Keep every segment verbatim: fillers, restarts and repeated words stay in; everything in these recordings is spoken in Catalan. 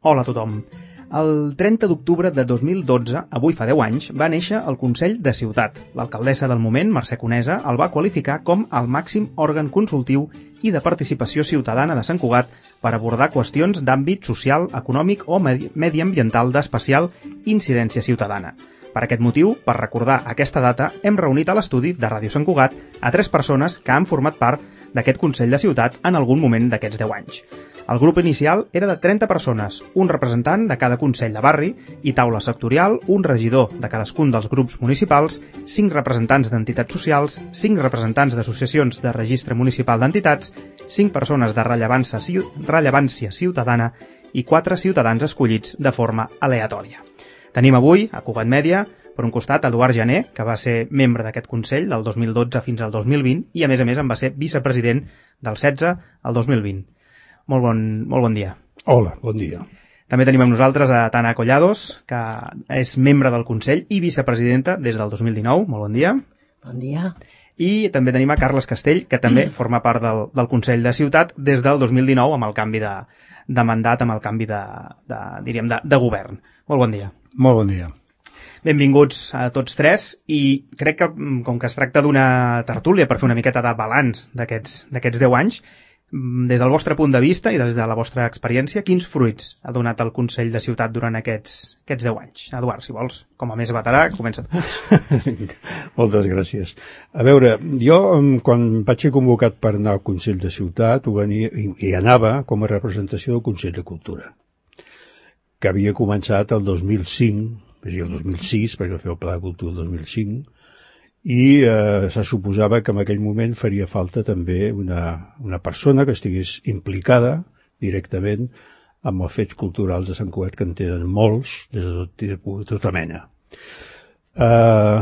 Hola a tothom. El trenta d'octubre de dos mil dotze, avui fa deu anys, va néixer el Consell de Ciutat. L'alcaldessa del moment, Mercè Conesa, el va qualificar com el màxim òrgan consultiu i de participació ciutadana de Sant Cugat per abordar qüestions d'àmbit social, econòmic o medi mediambiental d'especial incidència ciutadana. Per aquest motiu, per recordar aquesta data, hem reunit a l'estudi de Ràdio Sant Cugat a tres persones que han format part d'aquest Consell de Ciutat en algun moment d'aquests deu anys. El grup inicial era de trenta persones, un representant de cada Consell de Barri i taula sectorial, un regidor de cadascun dels grups municipals, cinc representants d'entitats socials, cinc representants d'associacions de registre municipal d'entitats, cinc persones de rellevància, rellevància ciutadana i quatre ciutadans escollits de forma aleatòria. Tenim avui, a Cugat Mèdia, per un costat, Eduard Jané, que va ser membre d'aquest Consell del dos mil dotze fins al dos mil vint i, a més a més, en va ser vicepresident del setze al dos mil vint. Molt bon, molt bon dia. Hola, bon dia. També tenim amb nosaltres a Tana Collados, que és membre del Consell i vicepresidenta des del dos mil dinou. Molt bon dia. Bon dia. I també tenim a Carles Castell, que també forma part del, del Consell de Ciutat des del dos mil dinou amb el canvi de, de mandat, amb el canvi de, de, diríem, de, de govern. Molt bon dia. Molt bon dia. Benvinguts a tots tres i crec que, com que es tracta d'una tertúlia per fer una miqueta de balanç d'aquests d'aquests deu anys, des del vostre punt de vista i des de la vostra experiència, quins fruits ha donat el Consell de Ciutat durant aquests, aquests deu anys? Eduard, si vols, com a més veterà, comença tu. Moltes gràcies. A veure, jo quan vaig ser convocat per anar al Consell de Ciutat ho venia, i, i anava com a representació del Consell de Cultura, que havia començat el dos mil cinc, és a dir, el dos mil sis, perquè va fer el Pla de Cultura el dos mil cinc, i eh, se suposava que en aquell moment faria falta també una, una persona que estigués implicada directament amb els fets culturals de Sant Cugat, que en tenen molts, des de, tot, de tota mena. Eh,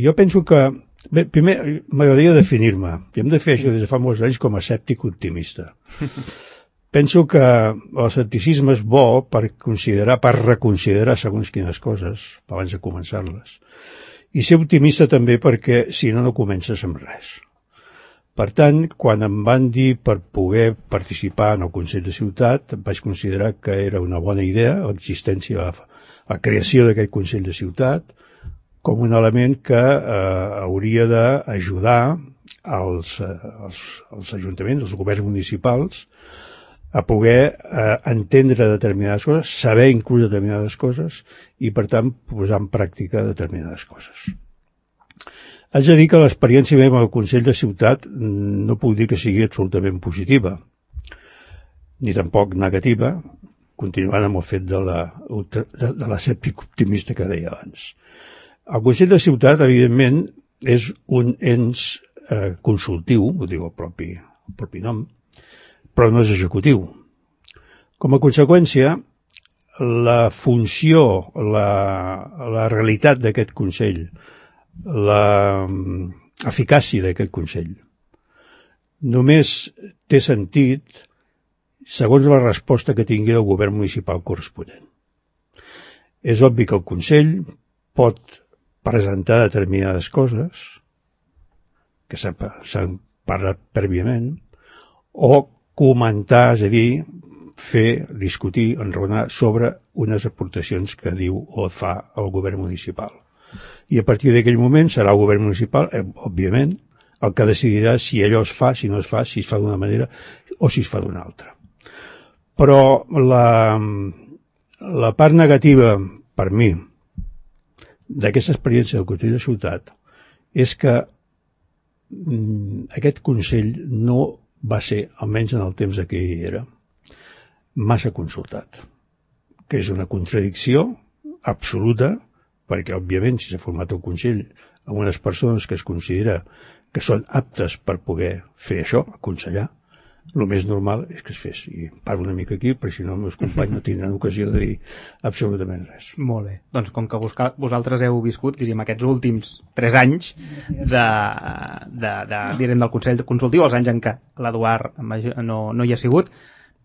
jo penso que... Bé, primer m'agradaria definir-me, i hem de fer això des de fa molts anys com a escèptic optimista. Penso que l'escepticisme és bo per considerar, per reconsiderar segons quines coses, abans de començar-les. I ser optimista també perquè, si no, no comences amb res. Per tant, quan em van dir per poder participar en el Consell de Ciutat, vaig considerar que era una bona idea l'existència, la, la creació d'aquest Consell de Ciutat, com un element que eh, hauria d'ajudar als, als, als ajuntaments, als governs municipals, a poder eh, entendre determinades coses, saber inclús determinades coses i, per tant, posar en pràctica determinades coses. Haig de dir que l'experiència meva al Consell de Ciutat no puc dir que sigui absolutament positiva, ni tampoc negativa, continuant amb el fet de la, de, de l'escèptic optimista que deia abans. El Consell de Ciutat, evidentment, és un ens eh, consultiu, ho diu el propi, el propi nom, però no és executiu. Com a conseqüència, la funció, la, la realitat d'aquest Consell, la eficàcia d'aquest Consell, només té sentit segons la resposta que tingui el govern municipal corresponent. És obvi que el Consell pot presentar determinades coses que s'han parlat prèviament, o comentar, és a dir, fer, discutir, enraonar sobre unes aportacions que diu o fa el govern municipal. I a partir d'aquell moment serà el govern municipal, eh, òbviament, el que decidirà si allò es fa, si no es fa, si es fa d'una manera o si es fa d'una altra. Però la, la part negativa, per mi, d'aquesta experiència del Consell de Ciutat és que mm, aquest Consell no va ser, almenys en el temps que hi era, massa consultat, que és una contradicció absoluta, perquè, òbviament, si s'ha format el Consell amb unes persones que es considera que són aptes per poder fer això, aconsellar, el més normal és que es fes. I parlo una mica aquí, perquè si no els meus companys no tindran ocasió de dir absolutament res. Molt bé. Doncs com que vosaltres heu viscut, diríem, aquests últims tres anys de, de, de, direm, del Consell Consultiu, els anys en què l'Eduard no, no hi ha sigut,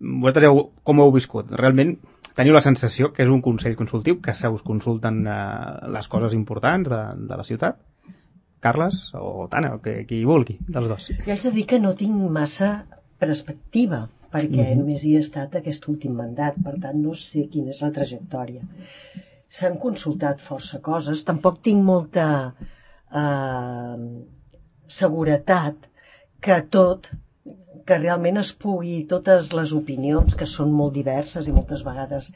vosaltres heu, com heu viscut? Realment teniu la sensació que és un Consell Consultiu, que se us consulten eh, les coses importants de, de la ciutat? Carles o Tana, o que, qui vulgui, dels dos. Jo haig de dir que no tinc massa perspectiva, perquè mm-hmm. només hi he estat aquest últim mandat, per tant no sé quina és la trajectòria. S'han consultat força coses, tampoc tinc molta eh, seguretat que tot, que realment es pugui, totes les opinions, que són molt diverses i moltes vegades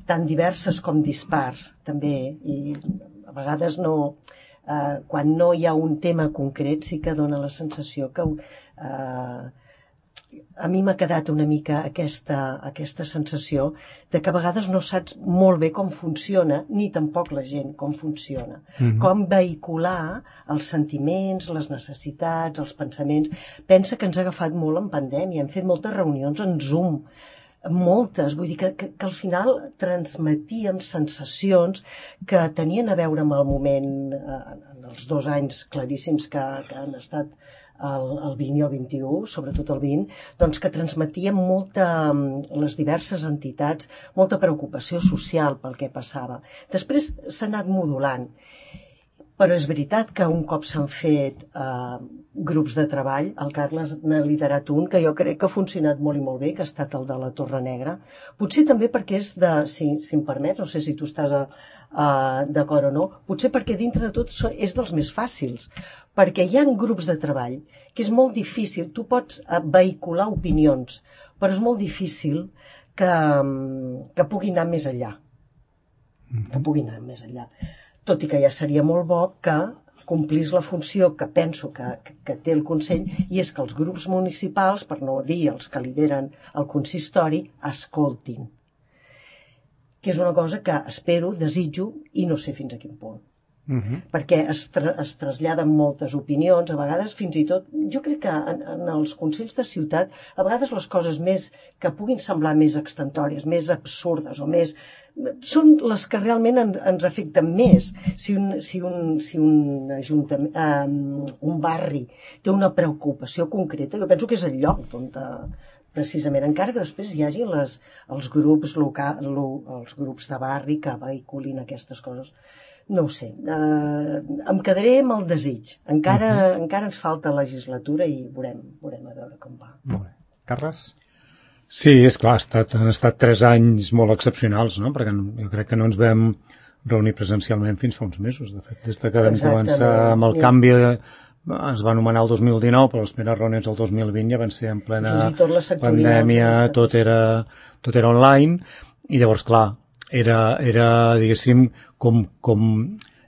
tan diverses com dispars, també, i a vegades no, eh, quan no hi ha un tema concret sí que dona la sensació que eh, a mi m'ha quedat una mica aquesta, aquesta sensació de que a vegades no saps molt bé com funciona, ni tampoc la gent com funciona. Mm-hmm. Com vehicular els sentiments, les necessitats, els pensaments. Pensa que ens ha agafat molt en pandèmia, hem fet moltes reunions en Zoom, moltes, vull dir que, que, que al final transmetíem sensacions que tenien a veure amb el moment, eh, en els dos anys claríssims que, que han estat el, el vint i el vint-i-u, sobretot el vint, doncs que transmetien molta, les diverses entitats, molta preocupació social pel que passava. Després s'ha anat modulant, però és veritat que un cop s'han fet eh, grups de treball, el Carles n'ha liderat un que jo crec que ha funcionat molt i molt bé, que ha estat el de la Torre Negra. Potser també perquè és de, si, si em permets, no sé si tu estàs a, a, d'acord o no, potser perquè dintre de tot és dels més fàcils, perquè hi ha grups de treball que és molt difícil, tu pots vehicular opinions, però és molt difícil que, que pugui anar més enllà, que pugui anar més enllà. Tot i que ja seria molt bo que complís la funció que penso que, que, que té el Consell, i és que els grups municipals, per no dir els que lideren el consistori, escoltin. Que és una cosa que espero, desitjo, i no sé fins a quin punt. Uh-huh. Perquè es, tra es traslladen moltes opinions, a vegades fins i tot, jo crec que en, en els consells de ciutat, a vegades les coses més que puguin semblar més extentòries, més absurdes o més... són les que realment en, ens afecten més. Si un, si un, si un, ajuntament, eh, un barri té una preocupació concreta, jo penso que és el lloc on precisament, encara que després hi hagi les, els grups local, lo, els grups de barri que vehiculin aquestes coses. No ho sé, eh, em quedaré amb el desig. Encara, uh-huh. encara ens falta legislatura i veurem, veurem a veure com va. Molt bé. Carles? Sí, és clar, ha estat, han estat tres anys molt excepcionals, no? Perquè jo crec que no ens vam reunir presencialment fins fa uns mesos. De fet, des que vam començar amb el canvi, es va anomenar el dos mil dinou, però les primeres reunions del dos mil vint ja van ser en plena pandèmia, tot era, tot era online, i llavors, clar, era, era diguéssim, com, com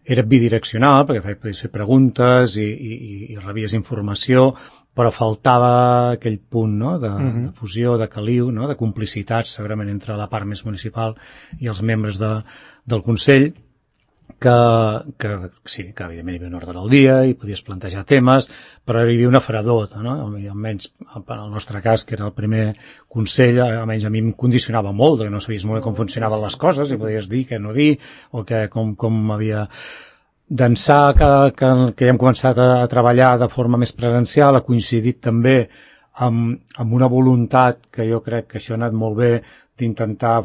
era bidireccional, perquè feies fer preguntes i, i, i rebies informació, però faltava aquell punt, no?, de, uh-huh. de fusió, de caliu, no?, de complicitat, segurament entre la part més municipal i els membres de, del Consell, que, que sí, que evidentment hi havia un ordre del dia i podies plantejar temes, però hi havia una fredor, no?, almenys en el nostre cas, que era el primer Consell, almenys a mi em condicionava molt, que no sabies molt com funcionaven les coses, i podies dir què no dir, o que, com, com havia... D'ençà que, que, que ja hem començat a, a treballar de forma més presencial, ha coincidit també amb, amb una voluntat que jo crec que això ha anat molt bé d'intentar,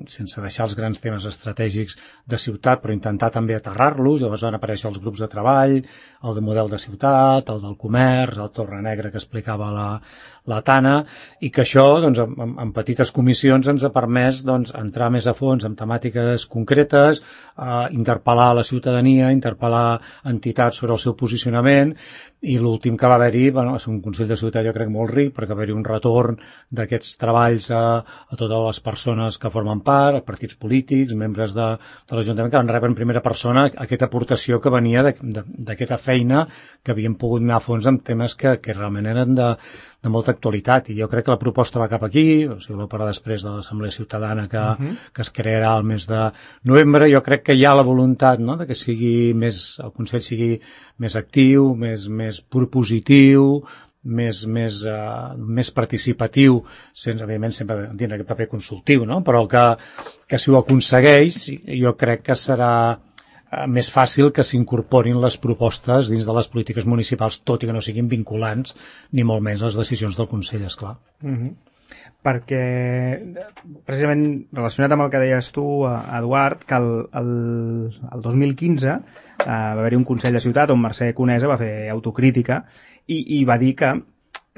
sense deixar els grans temes estratègics de ciutat, però intentar també aterrar-los. Llavors van aparèixer els grups de treball, el de model de ciutat, el del comerç, el Torre Negra que explicava la, la Tana, i que això, doncs, en, en petites comissions ens ha permès, doncs, entrar més a fons en temàtiques concretes, eh, interpel·lar la ciutadania, interpel·lar entitats sobre el seu posicionament, i l'últim que va haver-hi, bueno, és un Consell de Ciutat jo crec molt ric, perquè va haver-hi un retorn d'aquests treballs a, a totes les persones que formen part, partits polítics, membres de, de l'Ajuntament, que van rebre en primera persona aquesta aportació que venia d'aquesta feina que havien pogut anar a fons amb temes que, que realment eren de, de molta actualitat, i jo crec que la proposta va cap aquí, o sigui, voleu parlar després de l'Assemblea Ciutadana que, uh-huh. que es crearà el mes de novembre. Jo crec que hi ha la voluntat, no?, de que sigui més, el Consell sigui més actiu, més, més propositiu, més, més, uh, més participatiu, sense, evidentment, sempre dins aquest paper consultiu, no?, però que, que si ho aconsegueix, jo crec que serà més fàcil que s'incorporin les propostes dins de les polítiques municipals, tot i que no siguin vinculants, ni molt menys les decisions del Consell, esclar. Uh-huh. Perquè, precisament relacionat amb el que deies tu, Eduard, que el, el, el dos mil quinze eh, va haver-hi un Consell de Ciutat on Mercè Conesa va fer autocrítica i, i va dir que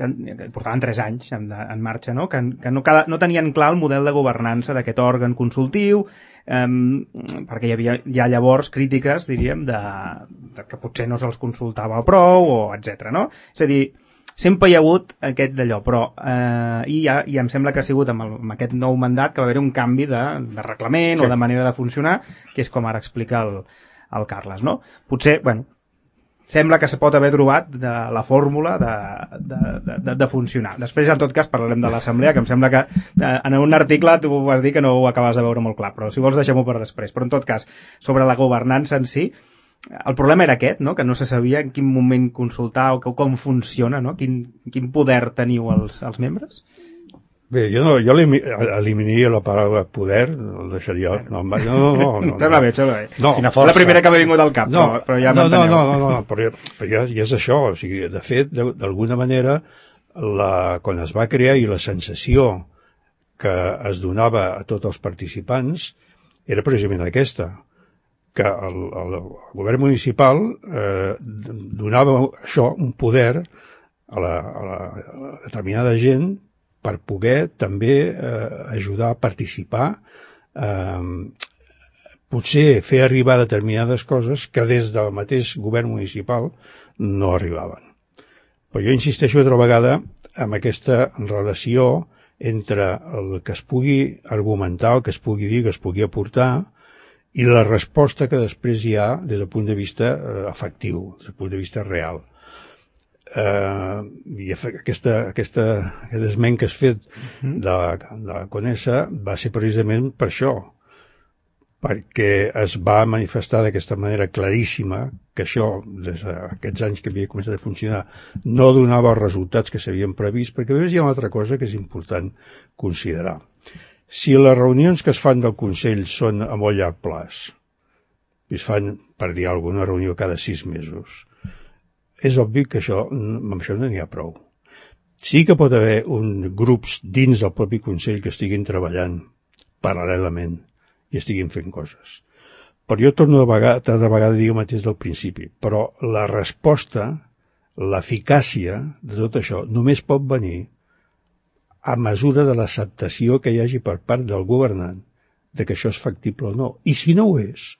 que, que portaven tres anys en, en marxa, no? que, que no, cada, no tenien clar el model de governança d'aquest òrgan consultiu, eh, perquè hi havia ja llavors crítiques, diríem, de, de que potser no se'ls consultava prou, o etcètera. No? És a dir, sempre hi ha hagut aquest d'allò, però eh, i, ja, i em sembla que ha sigut amb, el, amb aquest nou mandat que va haver un canvi de, de reglament sí. o de manera de funcionar, que és com ara explica el, el Carles, no? Potser, bueno, sembla que se pot haver trobat de la fórmula de, de, de, de funcionar. Després, en tot cas, parlarem de l'assemblea, que em sembla que eh, en un article tu vas dir que no ho acabes de veure molt clar, però si vols deixem-ho per després. Però, en tot cas, sobre la governança en si, el problema era aquest, no? Que no se sabia en quin moment consultar o com funciona, no? Quin, quin poder teniu els, els membres? Bé, jo, no, jo eliminaria la paraula poder, el deixaria... No, no, no, no, no, sembla bé, sembla bé. No, Quina força. La primera que m'ha vingut al cap, no, però, però ja no, no, m'enteneu. no, no, no, no, però, però ja, ja és això, o sigui, de fet, d'alguna manera, la, quan es va crear i la sensació que es donava a tots els participants era precisament aquesta, que el, el, el govern municipal eh, donava això, un poder a la, a la, a la determinada gent per poder també eh, ajudar a participar, eh, potser fer arribar determinades coses que des del mateix govern municipal no arribaven. Però jo insisteixo altra vegada en aquesta relació entre el que es pugui argumentar, el que es pugui dir, que es pugui aportar, i la resposta que després hi ha des del punt de vista eh, efectiu, des del punt de vista real. Uh, i aquesta, aquesta, aquest esment que has fet de la, de la Conesa va ser precisament per això, perquè es va manifestar d'aquesta manera claríssima que això, des d'aquests anys que havia començat a funcionar, no donava els resultats que s'havien previst, perquè a més hi ha una altra cosa que és important considerar. Si les reunions que es fan del Consell són a molt llarg plaç, i es fan, per dir alguna reunió cada sis mesos, és obvi que això, amb això no n'hi ha prou. Sí que pot haver un, grups dins del propi Consell que estiguin treballant paral·lelament i estiguin fent coses. Però jo torno de vegada, cada vegada a dir el mateix del principi, però la resposta, l'eficàcia de tot això només pot venir a mesura de l'acceptació que hi hagi per part del governant de que això és factible o no. I si no ho és,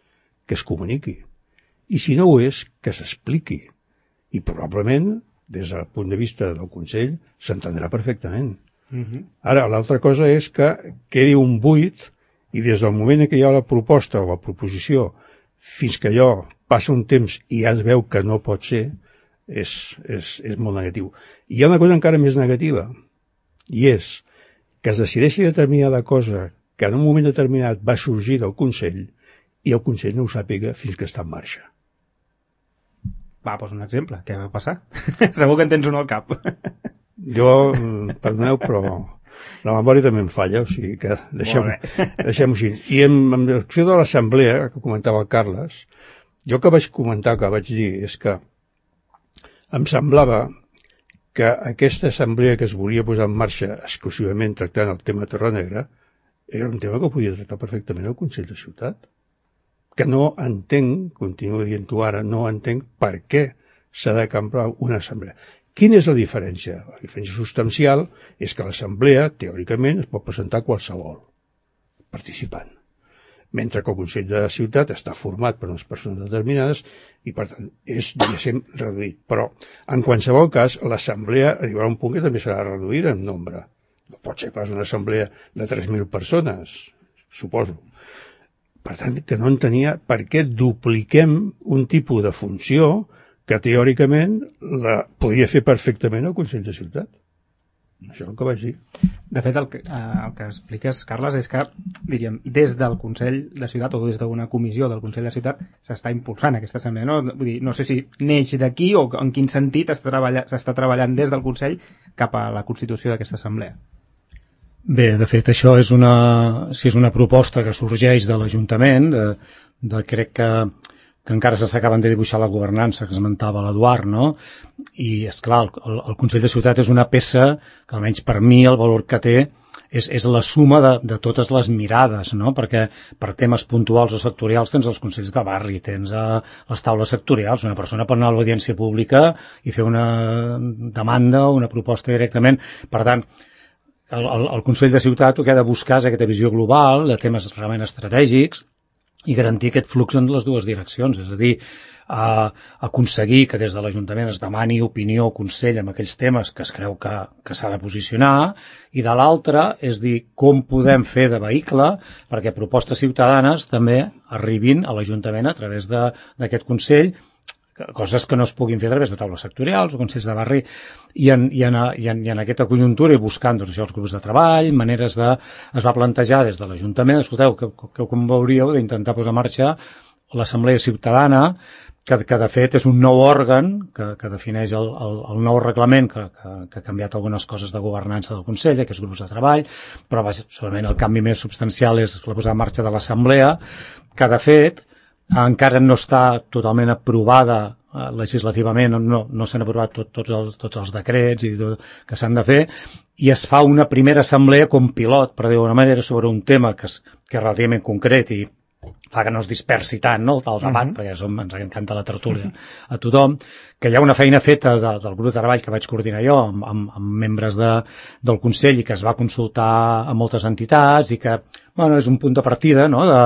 que es comuniqui. I si no ho és, que s'expliqui. I probablement, des del punt de vista del Consell, s'entendrà perfectament. Uh-huh. Ara, l'altra cosa és que quedi un buit i des del moment que hi ha la proposta o la proposició fins que allò passa un temps i ja es veu que no pot ser, és, és, és molt negatiu. I hi ha una cosa encara més negativa, i és que es decideixi determinada cosa que en un moment determinat va sorgir del Consell i el Consell no ho sàpiga fins que està en marxa. Va, doncs un exemple. Què va passar? Segur que en tens un al cap. Jo, perdoneu, però la memòria també em falla, o sigui que deixem-ho deixem així. I en, en l'acció de l'assemblea, que comentava el Carles, jo que vaig comentar, que vaig dir, és que em semblava que aquesta assemblea que es volia posar en marxa exclusivament tractant el tema Torrenegra era un tema que podia tractar perfectament el Consell de Ciutat. Que no entenc, continuo dient-ho ara, no entenc per què s'ha de comprar una assemblea. Quina és la diferència? La diferència substancial és que l'assemblea, teòricament, es pot presentar qualsevol participant. Mentre que el Consell de la Ciutat està format per unes persones determinades i, per tant, és, diguéssim, reduït. Però, en qualsevol cas, l'assemblea arribarà a un punt que també serà reduïda en nombre. No pot ser pas una assemblea de tres mil persones, suposo. Per tant, que no entenia per què dupliquem un tipus de funció que teòricament la podria fer perfectament el Consell de Ciutat. Això és el que vaig dir. De fet, el que, eh, el que expliques, Carles, és que, diríem, des del Consell de Ciutat o des d'una comissió del Consell de Ciutat s'està impulsant aquesta assemblea. No, Vull dir, no sé si neix d'aquí o en quin sentit s'està treballant, s'està treballant des del Consell cap a la constitució d'aquesta assemblea. Bé, de fet, això és una, si és una proposta que sorgeix de l'Ajuntament, de, de crec que, que encara s'acaben de dibuixar la governança que esmentava l'Eduard, no? I, és clar, el, el Consell de Ciutat és una peça que, almenys per mi, el valor que té és, és la suma de, de totes les mirades, no? Perquè per temes puntuals o sectorials tens els consells de barri, tens uh, les taules sectorials, una persona pot anar a l'audiència pública i fer una demanda o una proposta directament. Per tant, el, el, el Consell de Ciutat el que ha de buscar és aquesta visió global de temes realment estratègics i garantir aquest flux en les dues direccions, és a dir, a aconseguir que des de l'Ajuntament es demani opinió o consell en aquells temes que es creu que, que s'ha de posicionar, i de l'altra és dir com podem fer de vehicle perquè propostes ciutadanes també arribin a l'Ajuntament a través d'aquest Consell, coses que no es puguin fer a través de taules sectorials o consells de barri, i en, i en, i en, i en aquesta conjuntura i buscant doncs, això, els grups de treball, maneres de... es va plantejar des de l'Ajuntament, escolteu, que, que com veuríeu d'intentar posar en marxa l'Assemblea Ciutadana, que, que de fet és un nou òrgan que, que defineix el, el, el nou reglament que, que, que ha canviat algunes coses de governança del Consell, aquests grups de treball, però va, segurament el canvi més substancial és la posada en marxa de l'Assemblea, que de fet encara no està totalment aprovada eh, legislativament, no, no s'han aprovat tot, tots, els, tots els decrets i tot, que s'han de fer, i es fa una primera assemblea com pilot, per dir-ho d'una manera, sobre un tema que és, que és relativament concret i fa que no es dispersi tant, no?, el debat, uh-huh. perquè som, ens encanta la tertúlia a tothom, que hi ha una feina feta de, del grup de treball que vaig coordinar jo amb, amb, amb membres de, del Consell i que es va consultar a moltes entitats i que, bueno, és un punt de partida, no?, de,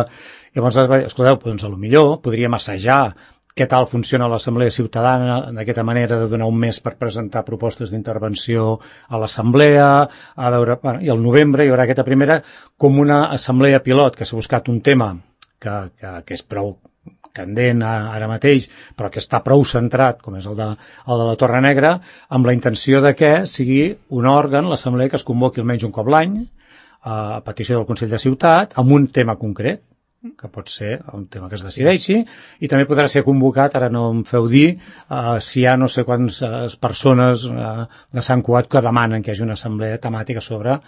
llavors, escolteu, doncs, potser podríem assajar què tal funciona l'Assemblea Ciutadana d'aquesta manera de donar un mes per presentar propostes d'intervenció a l'Assemblea, a veure, bueno, i al novembre hi haurà aquesta primera com una assemblea pilot que s'ha buscat un tema que, que, que és prou candent ara mateix, però que està prou centrat, com és el de, el de la Torre Negra, amb la intenció de que sigui un òrgan, l'Assemblea, que es convoqui almenys un cop l'any, a petició del Consell de Ciutat, amb un tema concret, que pot ser un tema que es decideixi, i també podrà ser convocat, ara no em feu dir, uh, si hi ha no sé quantes persones uh, de Sant Cugat que demanen que hi hagi una assemblea temàtica sobre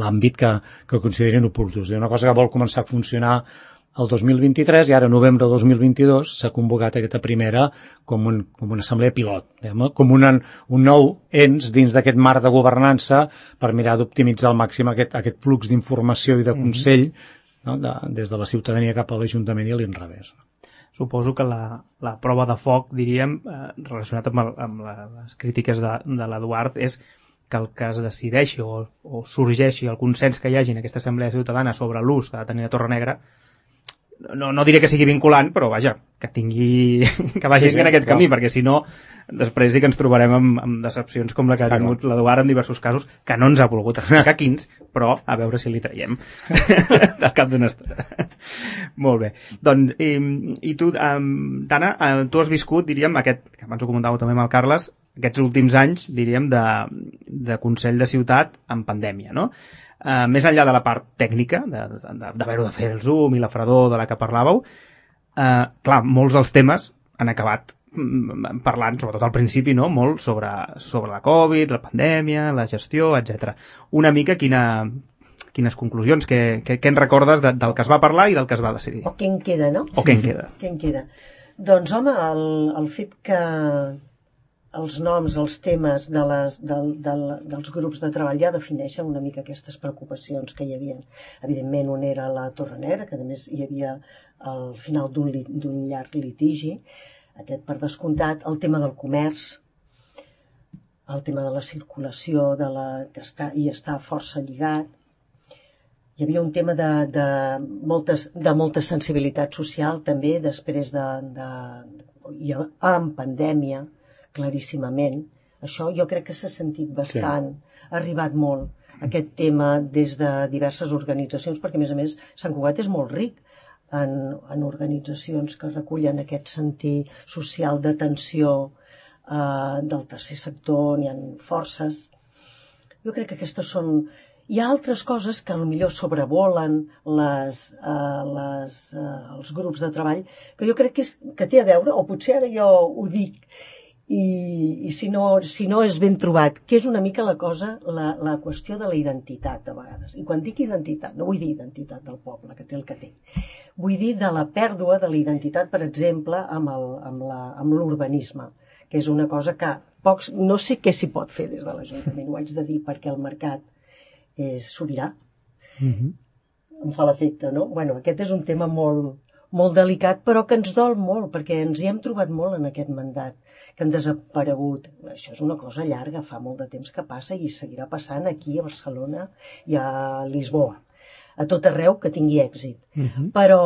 l'àmbit que, que considerin oportú. És una cosa que vol començar a funcionar el dos mil vint-i-tres i ara, novembre del dos mil vint-i-dos, s'ha convocat aquesta primera com, un, com una assemblea pilot, diguem, com una, un nou ens dins d'aquest marc de governança per mirar d'optimitzar al màxim aquest, aquest flux d'informació i de consell, mm-hmm. no, de, des de la ciutadania cap a l'Ajuntament i a l'inrevés. Suposo que la, la prova de foc, diríem, eh, relacionat amb, el, amb les crítiques de, de l'Eduard, és que el que es decideixi o, o sorgeixi el consens que hi hagi en aquesta assemblea ciutadana sobre l'ús que ha de tenir la Torre Negra, no, no diré que sigui vinculant, però vaja, que tingui que vagi sí, sí, en aquest clar. camí, perquè si no després sí que ens trobarem amb, amb decepcions com la que ha tingut clar. l'Eduard en diversos casos, que no ens ha volgut explicar quins, però a veure si li traiem del cap d'una estona. Molt bé. Doncs, i, i tu, um, Tana, uh, tu has viscut, diríem, aquest, que abans ho comentàveu també amb el Carles, aquests últims anys, diríem, de, de Consell de Ciutat en pandèmia, no? Uh, més enllà de la part tècnica, d'haver-ho de, de, de fer el Zoom i la fredor de la que parlàveu, uh, clar, molts dels temes han acabat mm, parlant, sobretot al principi, no?, molt sobre, sobre la Covid, la pandèmia, la gestió, etcètera. Una mica quina, quines conclusions, què, què, què en recordes de, del que es va parlar i del que es va decidir? O què en queda, no? O què en queda. Què en queda. Doncs, home, el, el fet que els noms, els temes de les, del, del, dels grups de treball ja defineixen una mica aquestes preocupacions que hi havia. Evidentment, un era la Torre Negra, que a més hi havia al final d'un llarg litigi, aquest per descomptat, el tema del comerç, el tema de la circulació, de la, que està, hi està força lligat. Hi havia un tema de, de, moltes, de molta sensibilitat social també, després de, de, i en pandèmia, claríssimament. Això jo crec que s'ha sentit bastant, sí. Ha arribat molt aquest tema des de diverses organitzacions, perquè a més a més Sant Cugat és molt ric en, en organitzacions que recullen aquest sentir social d'atenció eh, del tercer sector, n'hi ha forces. Jo crec que aquestes són... Hi ha altres coses que potser sobrevolen les, eh, les, eh, els grups de treball, que jo crec que, és, que té a veure, o potser ara jo ho dic, i, i si, no, si no és ben trobat, que és una mica la cosa, la, la qüestió de la identitat, de vegades. I quan dic identitat, no vull dir identitat del poble, que té el que té. Vull dir de la pèrdua de la identitat, per exemple, amb el, amb la, amb l'urbanisme, que és una cosa que pocs, no sé què s'hi pot fer des de l'Ajuntament, ho haig de dir, perquè el mercat és sobirà. Mm-hmm. Em fa l'efecte, no? Bueno, aquest és un tema molt, molt delicat, però que ens dol molt, perquè ens hi hem trobat molt en aquest mandat, que han desaparegut. Això és una cosa llarga, fa molt de temps que passa i seguirà passant aquí a Barcelona i a Lisboa, a tot arreu que tingui èxit. Mm-hmm. Però,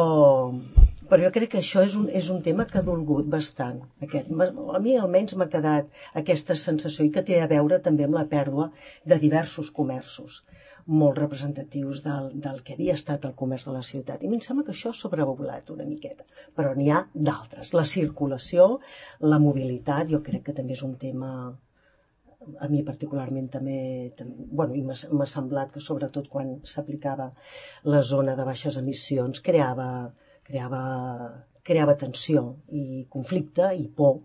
però jo crec que això és un, és un tema que ha dolgut bastant. Aquest. A mi almenys m'ha quedat aquesta sensació i que té a veure també amb la pèrdua de diversos comerços molt representatius del, del que havia estat el comerç de la ciutat. I a mi em sembla que això ha sobrevolat una miqueta. Però n'hi ha d'altres. La circulació, la mobilitat, jo crec que també és un tema, a mi particularment també, també bueno, i m'ha semblat que sobretot quan s'aplicava la zona de baixes emissions creava, creava, creava tensió i conflicte i por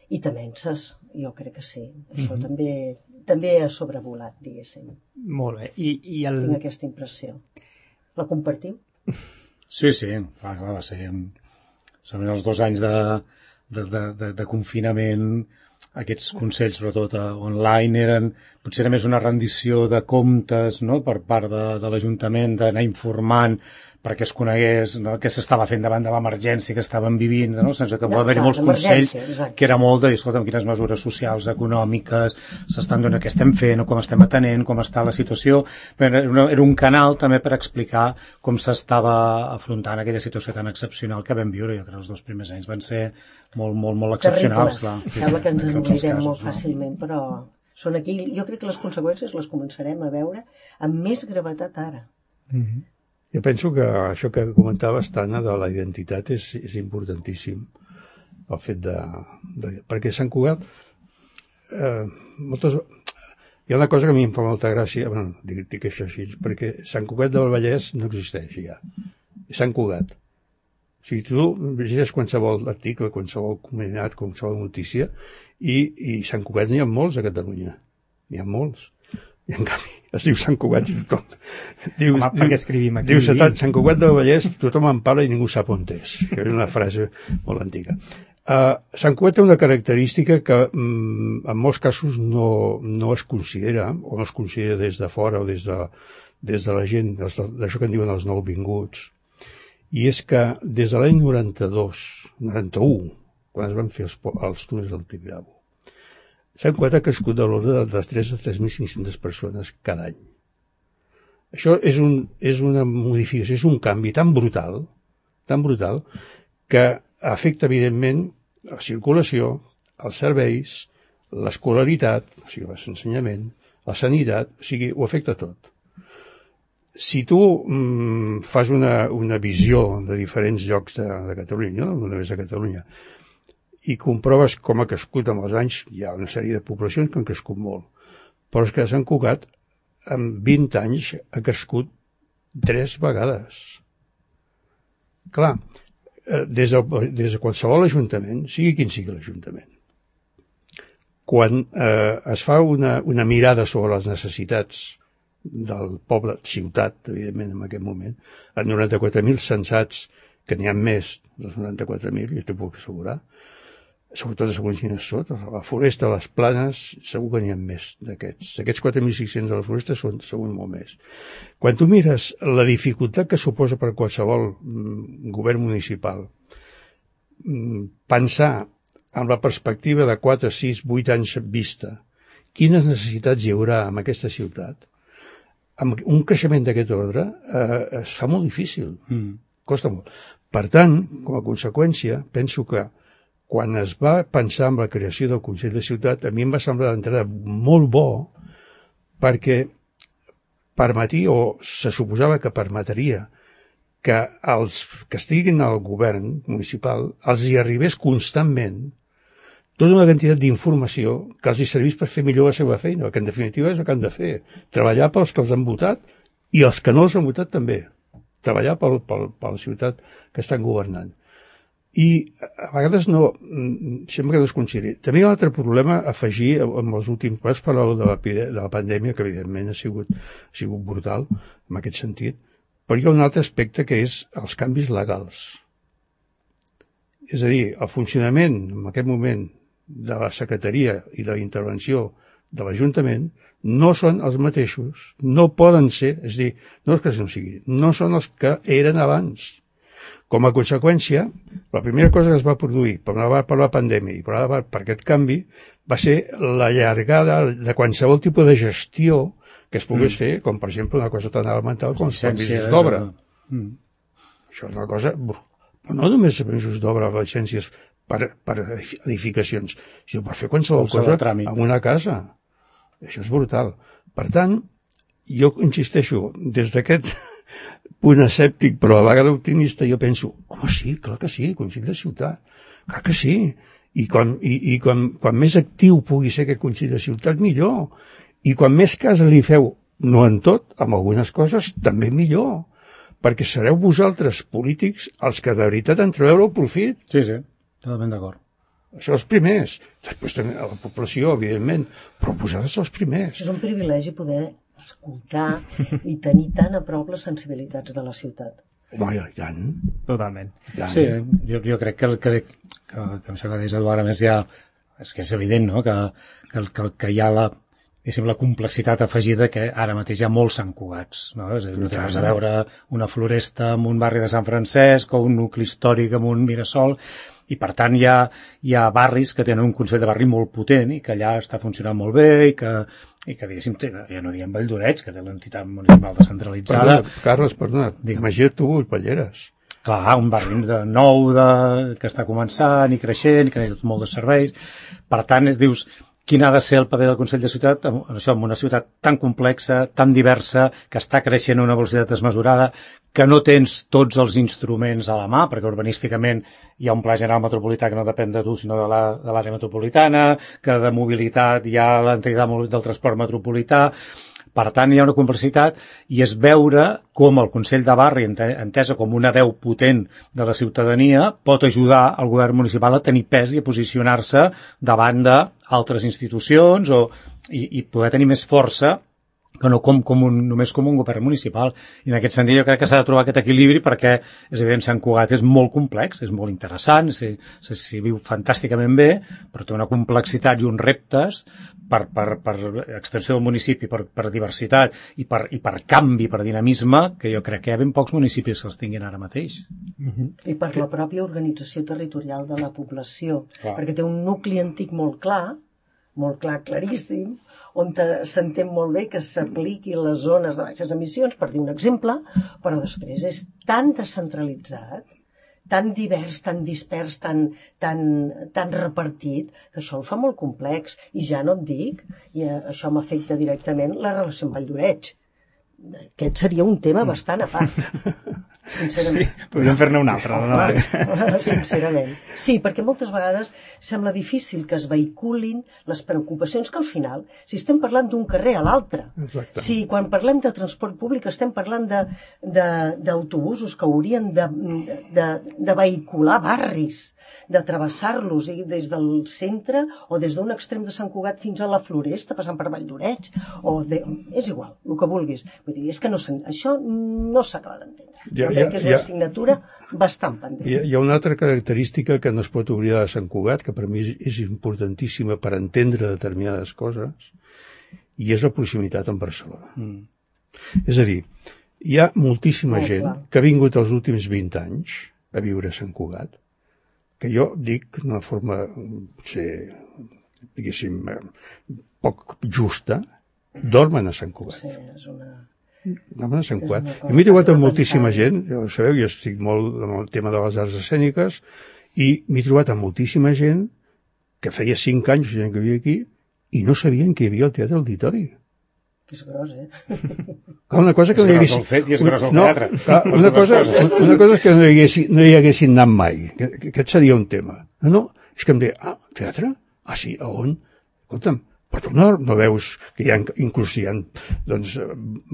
i temences. Jo crec que sí. Això mm-hmm. també... també ha sobrevolat, diguéssim. Molt bé. I, i el... Tinc aquesta impressió. La compartiu? Sí, sí, clar, clar, va ser... Són els dos anys de, de, de, de, de confinament, aquests consells, sobretot online, eren... Potser era més una rendició de comptes, no?, per part de, de l'Ajuntament, d'anar informant perquè es conegués, no?, què s'estava fent davant de l'emergència que estaven vivint, no?, sense que va haver-hi molts consells, exacte. Que era molt de dir, escolta, quines mesures socials, econòmiques s'estan donant, què estem fent, o com estem atenent, com està la situació. Era, una, era un canal també per explicar com s'estava afrontant aquella situació tan excepcional que vam viure. Jo crec que els dos primers anys van ser molt, molt, molt excepcionals. Clar. Sembla que ens en oblidem molt fàcilment, no? Però són aquí. Jo crec que les conseqüències les començarem a veure amb més gravetat ara. Mm-hmm. Jo penso que això que comentaves, Tana, de la identitat és, és importantíssim. El fet de... de perquè Sant Cugat... Eh, moltes, hi ha una cosa que a mi em fa molta gràcia, bueno, dic, dic això així, perquè Sant Cugat del Vallès no existeix ja. Sant Cugat. O sigui, tu llegeixes qualsevol article, qualsevol comunitat, qualsevol notícia, i, i Sant Cugat n'hi ha molts a Catalunya. N'hi ha molts. I en canvi es diu Sant Cugat i tothom diu, Home, perquè escrivim aquí diu Sant Cugat del Vallès, tothom en parla i ningú sap on és, que és una frase molt antiga. uh, Sant Cugat té una característica que mm, en molts casos no, no es considera o no es considera des de fora o des de, des de la gent d'això que en diuen els nouvinguts, i és que des de l'any noranta-dos noranta-u, quan es van fer els, els túnels del Tibidabo, Sant Cugat ha crescut de l'ordre de les tres a tres mil cinc-centes persones cada any. Això és, un, és una modificació, és un canvi tan brutal, tan brutal, que afecta, evidentment, la circulació, els serveis, l'escolaritat, o sigui, l'ensenyament, la sanitat, o sigui, ho afecta tot. Si tu mm, fas una, una visió de diferents llocs de, de Catalunya, no només de Catalunya, i comproves com ha crescut amb els anys, hi ha una sèrie de poblacions que han crescut molt, però és que Sant Cugat en vint anys ha crescut tres vegades. Clar, des de, des de qualsevol ajuntament, sigui quin sigui l'Ajuntament, quan eh, es fa una, una mirada sobre les necessitats del poble, ciutat, evidentment, en aquest moment, els noranta-quatre mil censats, que n'hi ha més dels noranta-quatre mil, jo t'ho puc assegurar, sobretot de segons quines són, la foresta, les planes, segur que n'hi ha més d'aquests. Aquests quatre mil cinc-cents de la foresta són segur molt més. Quan tu mires la dificultat que suposa per qualsevol mm, govern municipal mm, pensar amb la perspectiva de quatre, sis, vuit anys vista, quines necessitats hi haurà en aquesta ciutat, amb un creixement d'aquest ordre eh, es fa molt difícil, mm. costa molt. Per tant, com a conseqüència, penso que quan es va pensar en la creació del Consell de Ciutat, a mi em va semblar d'entrada molt bo, perquè permetia, o se suposava que permetria, que els que estiguin al govern municipal els hi arribés constantment tota una quantitat d'informació que els hi servís per fer millor la seva feina, que en definitiva és el que han de fer, treballar pels que els han votat i els que no els han votat també, treballar pel, pel, per la ciutat que estan governant. I a vegades no, sembla que no es consideri. També hi ha un altre problema a afegir amb els últims pas, parleu de la, de la pandèmia, que evidentment ha sigut, ha sigut brutal en aquest sentit, però hi ha un altre aspecte que és els canvis legals. És a dir, el funcionament en aquest moment de la secretaria i de la intervenció de l'Ajuntament no són els mateixos, no poden ser, és a dir, no és que no sigui, no són els que eren abans. Com a conseqüència, la primera cosa que es va produir per una part per la pandèmia i per l'altra part per aquest canvi va ser la llargada de qualsevol tipus de gestió que es pogués mm. fer, com per exemple una cosa tan elemental com els permisos d'obra. Mm. Això és una cosa... Però no només els permisos d'obra, les llicències per, per edificacions, sinó per fer qualsevol cosa en una casa. Això és brutal. Per tant, jo insisteixo, des d'aquest punt escèptic, però a la vegada optimista, jo penso, home, sí, clar que sí, Consell de Ciutat, clar que sí. I, quan, i, i quan, quan més actiu pugui ser aquest Consell de Ciutat, millor. I quan més cas li feu, no en tot, amb algunes coses, també millor. Perquè sereu vosaltres, polítics, els que de veritat en trobeu el profit. Sí, sí, totalment d'acord. Això els primers. Després també a la població, evidentment, però vosaltres els primers. És un privilegi poder escoltar i tenir tan a prop les sensibilitats de la ciutat. Home, i tant. Totalment. Tant. Sí, jo, jo crec que, el, que, que, que això que deies, Eduard, a més ja, és que és evident, no?, que, que, que, que hi ha la, la complexitat afegida que ara mateix hi ha molts Sant Cugats, no? És a dir, no tens a veure una floresta en un barri de Sant Francesc o un nucli històric en un Mirasol, i per tant hi ha, hi ha barris que tenen un Consell de Barri molt potent i que allà està funcionant molt bé i que, i que diguéssim, ja no diguem Vall d'Oreig, que té l'entitat municipal descentralitzada. Perdona, Carles, perdona, imagina't tu Ulls Clar, un barri de nou de, que està començant i creixent, que necessita molt de serveis. Per tant, es dius, quin ha de ser el paper del Consell de Ciutat en, això, en una ciutat tan complexa, tan diversa, que està creixent a una velocitat desmesurada, que no tens tots els instruments a la mà, perquè urbanísticament hi ha un pla general metropolità que no depèn de tu, sinó de l'àrea la, metropolitana, que de mobilitat hi ha l'entitat del transport metropolità. Per tant, hi ha una complexitat i és veure com el Consell de Barri, entesa com una veu potent de la ciutadania, pot ajudar al govern municipal a tenir pes i a posicionar-se davant d'altres institucions o, i, i poder tenir més força que no com, com un, només com un govern municipal. I en aquest sentit jo crec que s'ha de trobar aquest equilibri perquè, és evident, Sant Cugat és molt complex, és molt interessant, s'hi si, viu fantàsticament bé, però té una complexitat i uns reptes per, per, per extensió del municipi, per, per diversitat i per, i per canvi, per dinamisme, que jo crec que hi ha ben pocs municipis que els tinguin ara mateix. Uh-huh. I per la pròpia organització territorial de la població, clar. Perquè té un nucli antic molt clar, molt clar, claríssim, on s'entén molt bé que s'apliqui les zones de baixes emissions, per dir un exemple, però després és tan descentralitzat, tan divers, tan dispers, tan, tan, tan repartit, que això el fa molt complex. I ja no et dic, i això m'afecta directament la relació amb Vall d'Oreig. Aquest seria un tema bastant a part. Sincerament. Sí, podríem fer-ne un altre. No? Ah, sincerament. Sí, perquè moltes vegades sembla difícil que es vehiculin les preocupacions que al final, si estem parlant d'un carrer a l'altre, si quan parlem de transport públic estem parlant d'autobusos que haurien de, de, de vehicular barris, de travessar-los des del centre o des d'un extrem de Sant Cugat fins a la Floresta, passant per Vall d'Oreig, o de... és igual, el que vulguis. Vull dir, és que no això no s'acaba d'entendre. Ja, jo crec que és una assignatura bastant pendent. Hi ha, hi ha una altra característica que no es pot oblidar de Sant Cugat, que per mi és importantíssima per entendre determinades coses, i és la proximitat amb Barcelona. Mm. És a dir, hi ha moltíssima oh, gent clar. que ha vingut els últims vint anys a viure a Sant Cugat, que jo dic d'una forma, potser, diguéssim, poc justa, dormen a Sant Cugat. Sí, és una... Dormen a Sant Cugat. Jo m'he trobat amb moltíssima gent, ja ho sabeu, jo estic molt amb el tema de les arts escèniques, i m'he trobat amb moltíssima gent que feia cinc anys que vivia aquí i no sabien que hi havia el Teatre Auditori. Que és gros, eh? Una cosa que és no hi haguessin... És gros el fet i és gros el no, teatre. Clar, una, cosa, una cosa és que no hi haguessin, no hi haguessin anat mai. Aquest seria un tema. No, no, és que em deia, ah, teatre? Ah, sí, a on? Escolta'm, però tu no, no veus que hi ha, inclús hi ha doncs,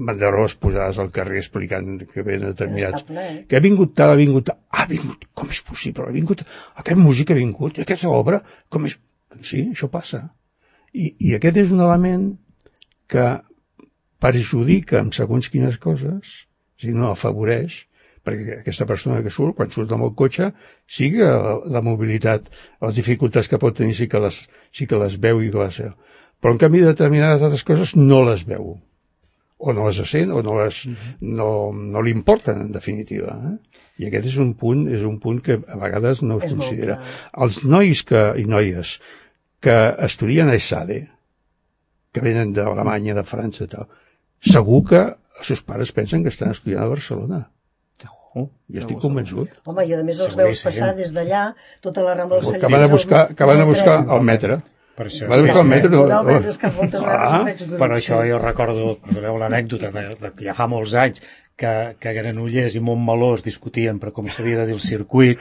banderoles posades al carrer explicant que ven determinats... Que ha vingut tal, ha vingut tal... Ha vingut, com és possible? Ha vingut... Aquest músic ha vingut, aquesta obra... Com és... Sí, això passa. I, i aquest és un element que perjudica amb segons quines coses, si no afavoreix, perquè aquesta persona que surt, quan surt amb el cotxe, sí que la, la mobilitat, les dificultats que pot tenir sí que les, sí que les veu i que les veu. Però en canvi determinades altres coses no les veu. O no les sent, o no, les, no, no li importen, en definitiva. Eh? I aquest és un punt, és un punt que a vegades no es és considera. Els nois que, i noies que estudien a ESADE, que venen d'Alemanya, de França i tal, segur que els seus pares pensen que estan estudiant a Barcelona. Segur. I estic convençut. Home, i a més els veus passar des d'allà, tota la Rambla dels Cellers... Que van a buscar, que van a buscar el metre. Per això, van a buscar el metre. No, no, és que moltes vegades ah, per això jo recordo, perdoneu l'anècdota, de, de, ja fa molts anys, que, que Granollers i Montmeló es discutien per com s'havia de dir el circuit,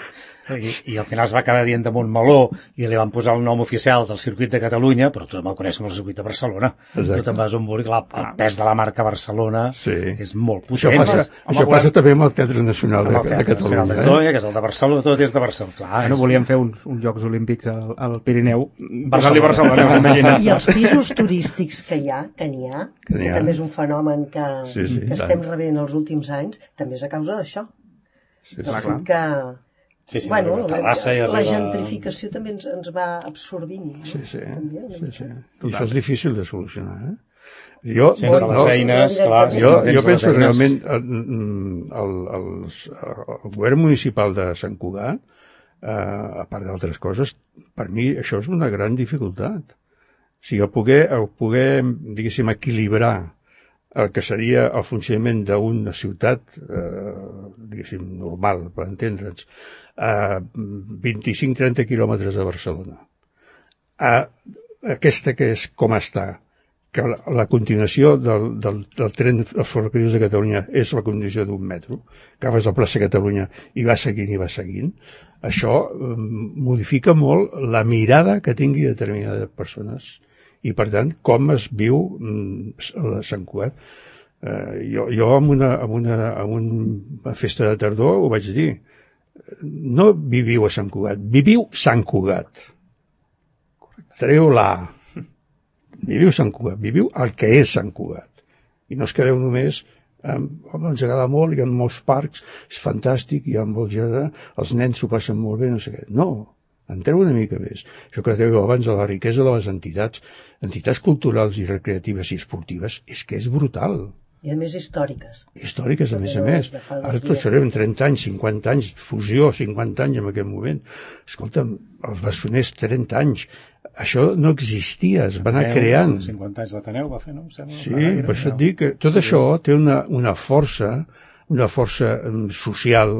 i, i al final es va acabar dient de Montmeló i li van posar el nom oficial del circuit de Catalunya, però tothom el coneix com el circuit de Barcelona. Exacte. Tu te'n vas on vulgui, el pes de la marca Barcelona sí. és molt potent. Això passa, Home, això passa també amb el Teatre Nacional de, de, de Catalunya. De Catalunya, eh? Que és el de Barcelona, tot és de Barcelona. Clar, no volíem fer uns, uns Jocs Olímpics al, al Pirineu, Barcelona, Barcelona, imagina't. I els pisos turístics que hi ha, que n'hi ha, que, que també és un fenomen que, sí, sí, que estem rebent els últims anys, també és a causa d'això. Sí, sí. Clar, clar. Que, sí, sí, bueno, la, la arriba... gentrificació també ens, ens va absorbint. No? Sí, sí. També, sí, sí. I això és difícil de solucionar, eh? Jo, sense no, les eines, clar. Jo, jo penso realment el, el, el, el govern municipal de Sant Cugat, eh, a part d'altres coses, per mi això és una gran dificultat. O sigui, el poder, el poder diguéssim, equilibrar el que seria el funcionament d'una ciutat, eh, diguéssim, normal, per entendre'ns, a vint-i-cinc a trenta quilòmetres de Barcelona. A aquesta que és com està, que la, la continuació del, del, del tren dels ferrocarrils de Catalunya és la condició d'un metro, que agafes la plaça Catalunya i va seguint i va seguint, això eh, modifica molt la mirada que tingui determinades persones i, per tant, com es viu a Sant Cugat. Eh, jo jo en, una, en, una, en una festa de tardor ho vaig dir, no viviu a Sant Cugat, viviu Sant Cugat. Treu la Viviu Sant Cugat, viviu el que és Sant Cugat. I no es quedeu només, eh, home, ens agrada molt, hi ha molts parcs, és fantàstic, hi ha molts jardins, els nens s'ho passen molt bé, no sé què. No, entreu una mica més. Això que dèieu abans de la riquesa de les entitats, entitats culturals i recreatives i esportives, és que és brutal. I a més històriques. Històriques, a més a més. Ara tots serem trenta anys, cinquanta anys, fusió, cinquanta anys en aquest moment. Escolta'm, els Bessoners, trenta anys. Això no existia, es va anar creant. cinquanta anys l'Ateneu va fer, no? Sí, per això et dic que tot això té una, una força, una força social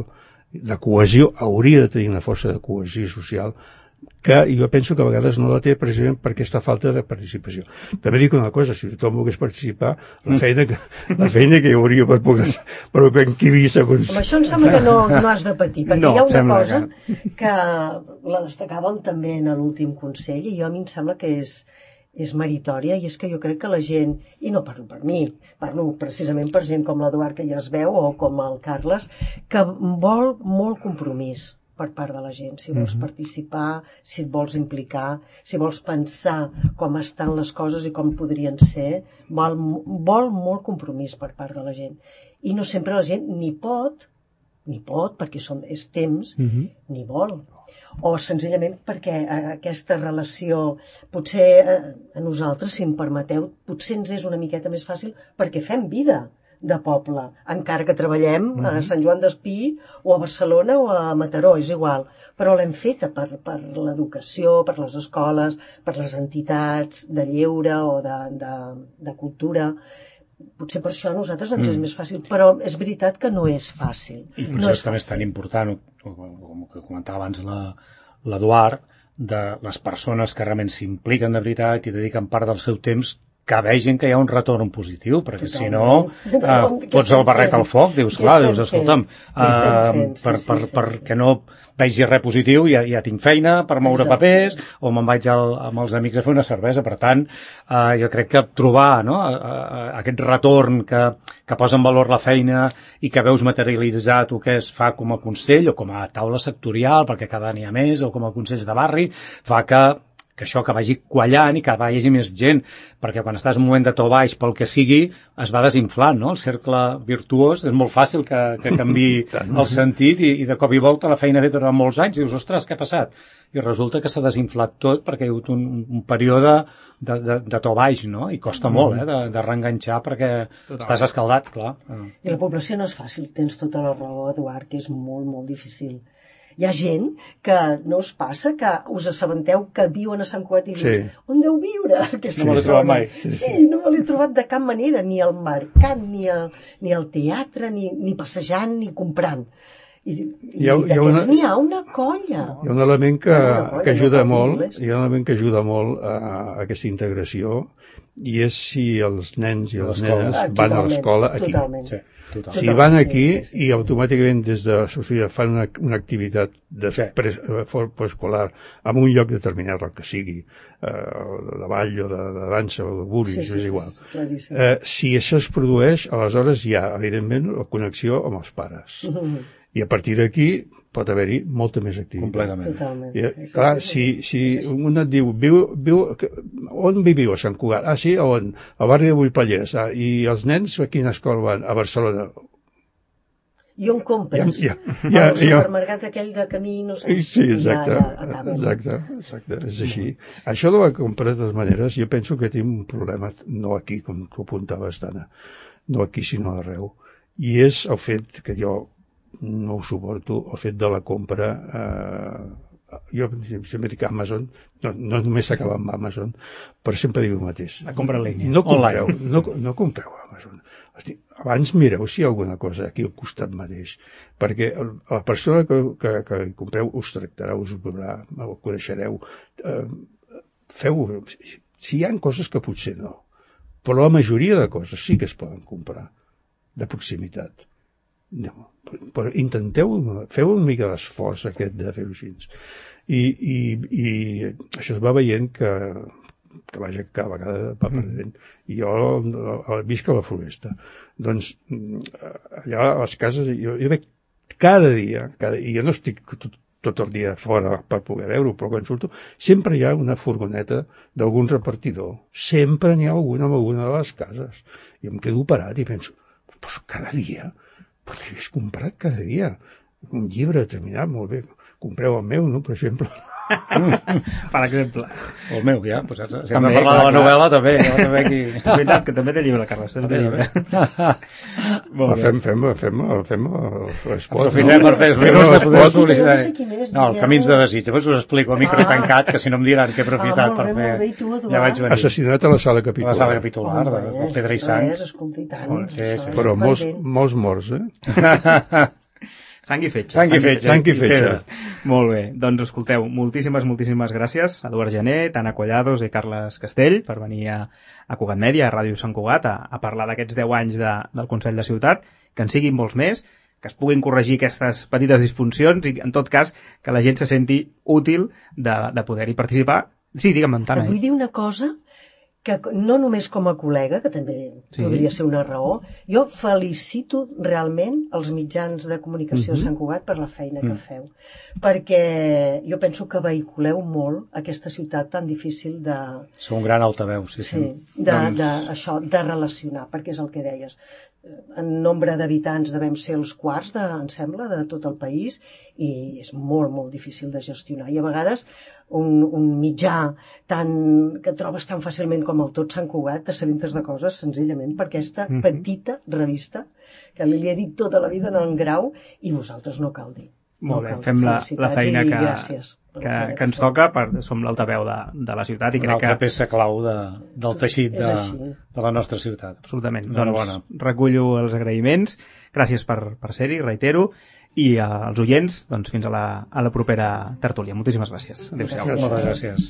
de cohesió, hauria de tenir una força de cohesió social, que jo penso que a vegades no la té precisament per aquesta falta de participació. També dic una cosa, si tothom volgués participar, la feina que, la feina que hi hauria per poder, per encabir segons... Amb això em sembla que no, no has de patir, perquè no, hi ha una cosa que... que la destacàvem també en l'últim Consell, i jo a mi em sembla que és, és meritòria, i és que jo crec que la gent, i no parlo per mi, parlo precisament per gent com l'Eduard, que ja es veu, o com el Carles, que vol molt compromís per part de la gent, si vols mm-hmm. participar, si et vols implicar, si vols pensar com estan les coses i com podrien ser, vol, vol molt compromís per part de la gent. I no sempre la gent ni pot, ni pot, perquè són, és temps, mm-hmm. ni vol. O senzillament perquè aquesta relació, potser a nosaltres, si em permeteu, potser ens és una miqueta més fàcil perquè fem vida de poble, encara que treballem mm-hmm. a Sant Joan d'Espí o a Barcelona o a Mataró, és igual, però l'hem feta per, per l'educació, per les escoles, per les entitats de lleure o de, de, de cultura. Potser per això a nosaltres ens mm. és més fàcil, però és veritat que no és fàcil. I per no això és també és tan important, com que comentava abans l'Eduard, de les persones que realment s'impliquen de veritat i dediquen part del seu temps, que vegin que hi ha un retorn positiu, perquè totalment. Si no, eh, pots el barret al foc, dius, clar, dius, escolta'm, eh, per, per, sí, sí, perquè sí. no vegi res positiu, ja, ja tinc feina per moure Exacte. Papers, o me'n vaig al, amb els amics a fer una cervesa. Per tant, eh, jo crec que trobar no, eh, aquest retorn que, que posa en valor la feina i que veus materialitzat el que es fa com a consell o com a taula sectorial, perquè cada any hi ha més, o com a consells de barri, fa que que això que vagi quallant i que vagi més gent, perquè quan estàs en un moment de to baix, pel que sigui, es va desinflant, no? El cercle virtuós és molt fàcil que, que canvi el sentit i, i de cop i volta la feina feta durant molts anys i dius, ostres, què ha passat? I resulta que s'ha desinflat tot perquè hi ha hagut un, un període de, de, de to baix, no? I costa mm. molt, eh, de, de reenganxar perquè Total. Estàs escaldat, clar. I la població no és fàcil, tens tota la raó, Eduard, que és molt, molt difícil. Hi ha gent que no us passa que us assabenteu que viuen a Sant Cugat i dius, sí. On deu viure aquesta no persona? No me l'he trobat mai. Sí, sí, no me l'he trobat de cap manera, ni al mercat, ni al, ni al teatre, ni, ni passejant, ni comprant. I, i hi ha, hi ha una, n'hi ha una colla. Hi ha un element que, colla, que ajuda no molt, hi ha un element que ajuda molt a, a aquesta integració i és si els nens i les nenes ah, van a l'escola aquí. Totalment. Sí. Total. Si van aquí sí, sí, sí. i automàticament des de Sofia fan una, una activitat de sí. preescolar en un lloc determinat, el que sigui, eh, de ball o de, de dansa o de burris, sí, sí, és igual. Sí, sí, eh, si això es produeix, aleshores hi ha, evidentment, la connexió amb els pares. Mm-hmm. I a partir d'aquí pot haver-hi molta més activitat. Completament. Totalment. I, clar, si, si un et diu, viu, viu, on viviu a Sant Cugat? Ah, sí, on? Al barri de Vullpallers. Ah, I els nens a quina escola van? A Barcelona. I on compres? Ja, ja, ja, el supermercat ja. Aquell de camí, no sé. Sí, exacte. Ja, ja exacte, exacte, és així. Mm. Això de la compra, de totes maneres, jo penso que tinc un problema, no aquí, com tu apuntaves, Dana, no aquí, sinó arreu. I és el fet que jo no ho suporto, el fet de la compra eh, jo sempre dic Amazon, no, no només s'acaba amb Amazon, però sempre dic el mateix. La compra en línia. No compreu, no, no compreu a Amazon. Hosti, abans mireu si hi ha alguna cosa aquí al costat mateix, perquè la persona que, que, que hi compreu us tractarà, us veurà, el coneixereu. Eh, feu, si hi ha coses que potser no, però la majoria de coses sí que es poden comprar de proximitat. No, però intenteu, feu una mica d'esforç aquest de fer-ho així. I, i, i això es va veient que, que vaja, cada vegada va perdent. I jo visc a la Floresta. Doncs allà a les cases, jo, jo veig cada dia, cada, i jo no estic tot, tot el dia fora per poder veure-ho, però quan surto sempre hi ha una furgoneta d'algun repartidor. Sempre n'hi ha alguna en alguna de les cases. I em quedo parat i penso, però cada dia... Però l'he comprat cada dia. Un llibre determinat, molt bé. Compreu el meu, no?, per exemple. Per exemple. O el meu, ja. Pues, si hem de parlar de la novel·la, també. també aquí... És veritat, que també té llibre, Carles. També llibre. Fem, fem, fem, fem l'esport. Aprofitem per fer els minuts de poder publicitar. No, el Camins de desig. Després us explico a micro tancat, que si no em diran que he aprofitat per fer... Ja vaig venir. Assassinat a la sala capitular. A la sala capitular, de Pedra i Sang. Però molts morts, eh? Sang i fetge. Sang i fetge. Sang i fetge. Molt bé. Doncs escolteu, moltíssimes, moltíssimes gràcies a Eduard Gené, Tana Collados i Carles Castell per venir a, a Cugat Mèdia, a Ràdio Sant Cugat, a, a parlar d'aquests deu anys de, del Consell de Ciutat, que en siguin molts més, que es puguin corregir aquestes petites disfuncions i, en tot cas, que la gent se senti útil de, de poder-hi participar. Sí, digue'm, Tana. Vull dir una cosa que no només com a col·lega, que també sí. podria ser una raó, jo felicito realment els mitjans de comunicació uh-huh. de Sant Cugat per la feina uh-huh. que feu, perquè jo penso que vehiculeu molt aquesta ciutat tan difícil de... Sou un gran altaveu, sí, sí. sí de, doncs... de, això, de relacionar, perquè és el que deies. En nombre d'habitants devem ser els quarts, de, em sembla, de tot el país, i és molt, molt difícil de gestionar. I a vegades un, un mitjà tan, que trobes tan fàcilment com el Tot Sant Cugat t'assabentes de coses senzillament per aquesta mm-hmm. petita revista que li he dit tota la vida en el grau i vosaltres no cal dir. Molt bé, fem la, la feina que, que, que ens toca, per, som l'altaveu de, de la ciutat i crec una altra que... peça clau de, del teixit de, de la nostra ciutat. Absolutament. Doncs recullo els agraïments, gràcies per, per ser-hi, reitero, i als oients, doncs fins a la, a la propera tertúlia. Moltíssimes gràcies. Adéu-siau. Moltes gràcies.